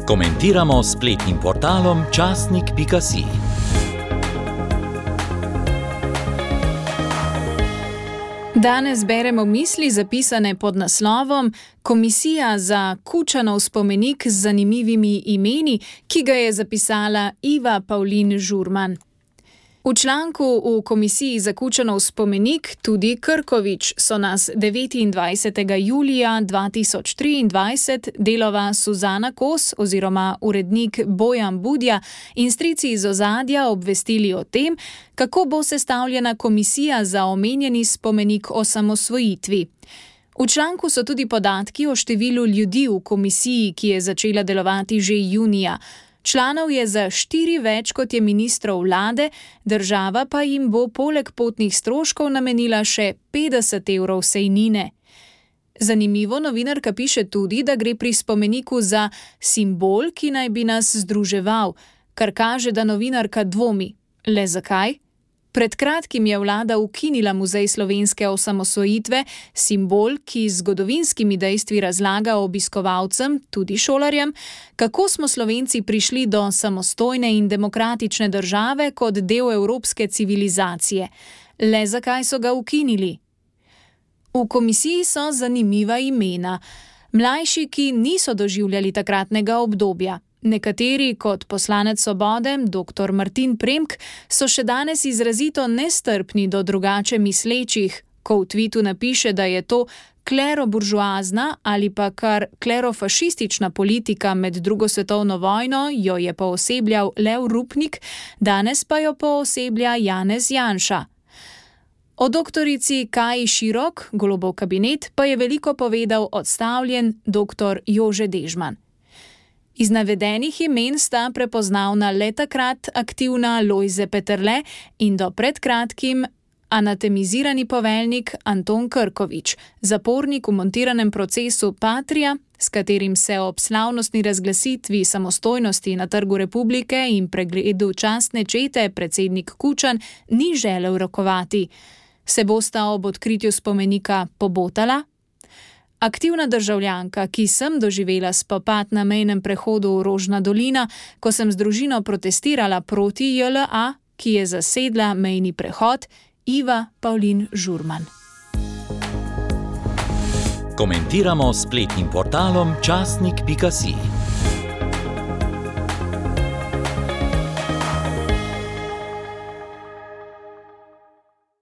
Komentiramo s spletnim portalom časnik.si. Danes beremo misli zapisane pod naslovom Komisija za Kučanov spomenik z zanimivimi imeni, ki ga je zapisala Iva Pavlin Žurman. V članku v Komisiji za Kučanov spomenik tudi Krkovič so nas 29. julija 2023 delova Suzana Kos oziroma urednik Bojan Budja in strici iz ozadja obvestili o tem, kako bo sestavljena komisija za omenjeni spomenik osamosvojitvi. V članku so tudi podatki o številu ljudi v komisiji, ki je začela delovati že junija. Članov je za 4 več, kot je ministrov vlade, država pa jim bo poleg potnih stroškov namenila še 50 evrov sejnine. Zanimivo, novinarka piše tudi, da gre pri spomeniku za simbol, ki naj bi nas združeval, kar kaže, da novinarka dvomi. Le zakaj? Pred kratkim je vlada ukinila Muzej slovenske osamosvojitve, simbol, ki z zgodovinskimi dejstvi razlaga obiskovalcem, tudi šolarjem, kako smo Slovenci prišli do samostojne in demokratične države kot del evropske civilizacije. Le zakaj so ga ukinili? V komisiji so zanimiva imena. Mlajši, ki niso doživljali takratnega obdobja. Nekateri, kot poslanec Svobode, dr. Martin Premk, so še danes izrazito nestrpni do drugače mislečih, ko v tvitu napiše, da je to kleroburžoazna ali pa kar klerofašistična politika med drugo svetovno vojno, jo je poosebljal Lev Rupnik, danes pa jo pooseblja Janez Janša. O doktorici Kaji Širok, Golobov kabinet, pa je veliko povedal odstavljen dr. Jože Dežman. Iz navedenih imen sta prepoznavna le takrat aktivna Lojze Peterle in do pred kratkim anatemizirani poveljnik Anton Krkovič, zapornik v montiranem procesu Patria, s katerim se ob slavnostni razglasitvi samostojnosti na Trgu Republike in pregledu častne čete predsednik Kučan ni želel rokovati. Se bosta ob odkritju spomenika pobotala? Aktivna državljanka, ki sem doživela spopad na mejnem prehodu Rožna dolina, ko sem z družino protestirala proti JLA, ki je zasedla mejni prehod, Iva Pavlin Žurman. Komentiramo s spletnim portalom časnik.si.